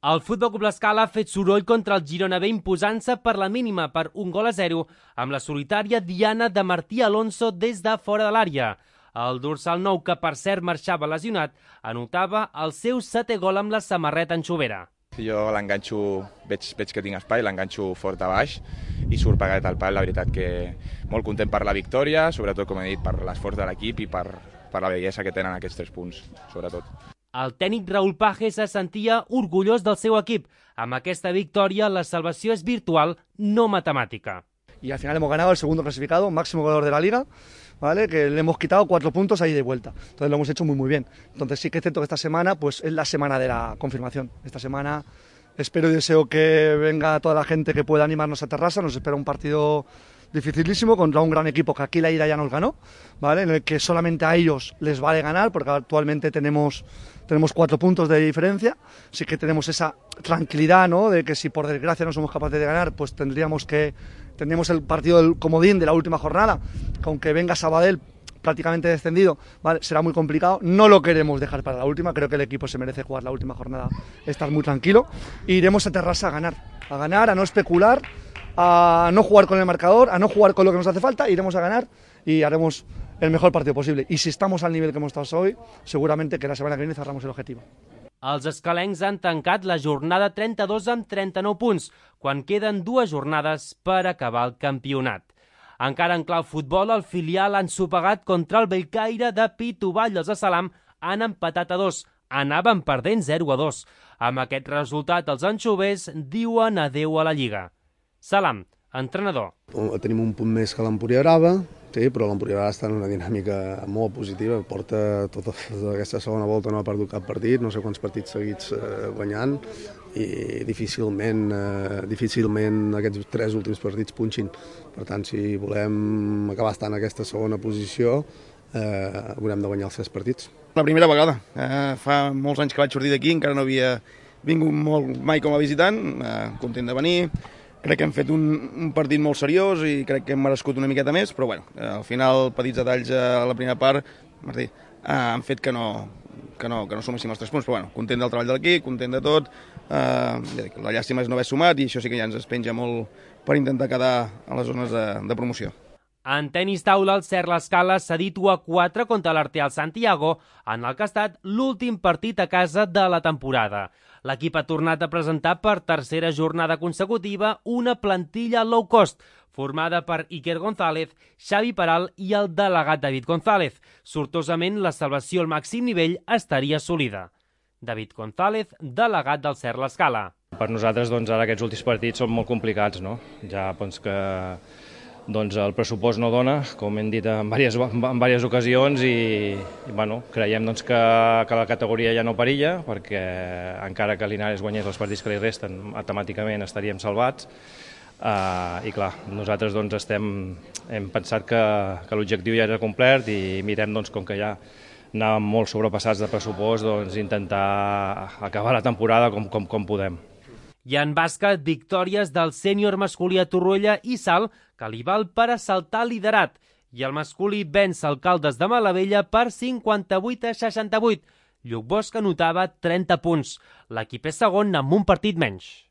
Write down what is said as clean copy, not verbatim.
El Futbol Club L'Escala ha fet soroll contra el Girona B imposant-se per la mínima per 1-0 amb la solitària diana de Martí Alonso des de fora de l'àrea. El dorsal nou, que per cert marxava lesionat, anotava el seu 7è gol amb la samarreta anxovera. Jo l'enganxo, veig que tinc espai, l'enganxo fort a baix i surt pegat al pal. La veritat que molt content per la victòria, sobretot, com he dit, per l'esforç de l'equip i per la bellesa que tenen aquests 3 punts, sobretot. El tècnic Raúl Page se sentia orgullós del seu equip. Amb aquesta victòria, la salvació és virtual, no matemàtica. Y al final hemos ganado el segundo clasificado, máximo goleador de la liga, ¿vale? Que le hemos quitado 4 puntos ahí de vuelta. Entonces lo hemos hecho muy bien. Entonces sí que es cierto que esta semana pues es la semana de la confirmación. Esta semana espero y deseo que venga toda la gente que pueda animarnos a Terrassa. Nos espera un partido dificilísimo contra un gran equipo que aquí la ida ya nos ganó, ¿vale? En el que solamente a ellos les vale ganar, porque actualmente tenemos 4 puntos de diferencia. Sí que tenemos esa tranquilidad, ¿no? De que si por desgracia no somos capaces de ganar, pues tendríamos el partido del comodín de la última jornada, que aunque venga Sabadell prácticamente descendido, ¿vale? Será muy complicado. No lo queremos dejar para la última. Creo que el equipo se merece jugar la última jornada, estar muy tranquilo. E iremos a Terrassa a ganar, a no especular, a no jugar con el marcador, a no jugar con lo que nos hace falta. Iremos a ganar y haremos el mejor partido posible. Y si estamos al nivel que hemos estado hoy, seguramente que la semana que viene cerramos el objetivo. Els escalencs han tancat la jornada 32 amb 39 punts, quan queden 2 jornades per acabar el campionat. Encara en clau futbol, el filial han sopegat contra el Bellcaire de Pituvall. Els de Salam han empatat a 2. Anaven perdent 0-2. Amb aquest resultat, els anxovers diuen adeu a la Lliga. Salam, entrenador. Tenim un punt més que l'Empúria Brava, sí, però l'Empúria Brava està en una dinàmica molt positiva. Porta tota aquesta segona volta, no ha perdut cap partit, no sé quants partits seguits guanyant, i difícilment aquests 3 últims partits punxin. Per tant, si volem acabar estant en aquesta segona posició, haurem de guanyar els 3 partits. La primera vegada. Fa molts anys que vaig sortir d'aquí, encara no havia vingut mai com a visitant, content de venir. Crec que hem fet un partit molt seriós i crec que hem merescut una miqueta més, però bueno, al final, petits detalls a la primera part, Martí, han fet que no suméssim els 3 punts, però bueno, content del treball de l'equip, content de tot. La llàstima és no haver sumat i això sí que ja ens es penja molt per intentar quedar a les zones de promoció. En tenis taula, el Cert L'Escala s'ha dit 1-4 contra l'Arteal Santiago, en el que ha estat l'últim partit a casa de la temporada. L'equip ha tornat a presentar per tercera jornada consecutiva una plantilla low cost, formada per Iker González, Xavi Peral i el delegat David González. Sortosament, la salvació al màxim nivell estaria assolida. David González, delegat del Cert L'Escala. Per nosaltres, ara aquests últims partits són molt complicats, no? Ja que el pressupost no dona, com hem dit en diverses ocasions, i creiem que la categoria ja no perilla, perquè encara que Linares guanyés els partits que li resten, matemàticament estaríem salvats. I clar, nosaltres hem pensat que l'objectiu ja era complert i mirem, com que ja anàvem molt sobrepassats de pressupost, intentar acabar la temporada com podem. I en bàsquet, victòries del sènior masculí a Torroella i Salt, que li val per assaltar liderat. I el masculí venç el Caldes de Malavella per 58-68. Lluc Bosch anotava 30 punts. L'equip és segon amb un partit menys.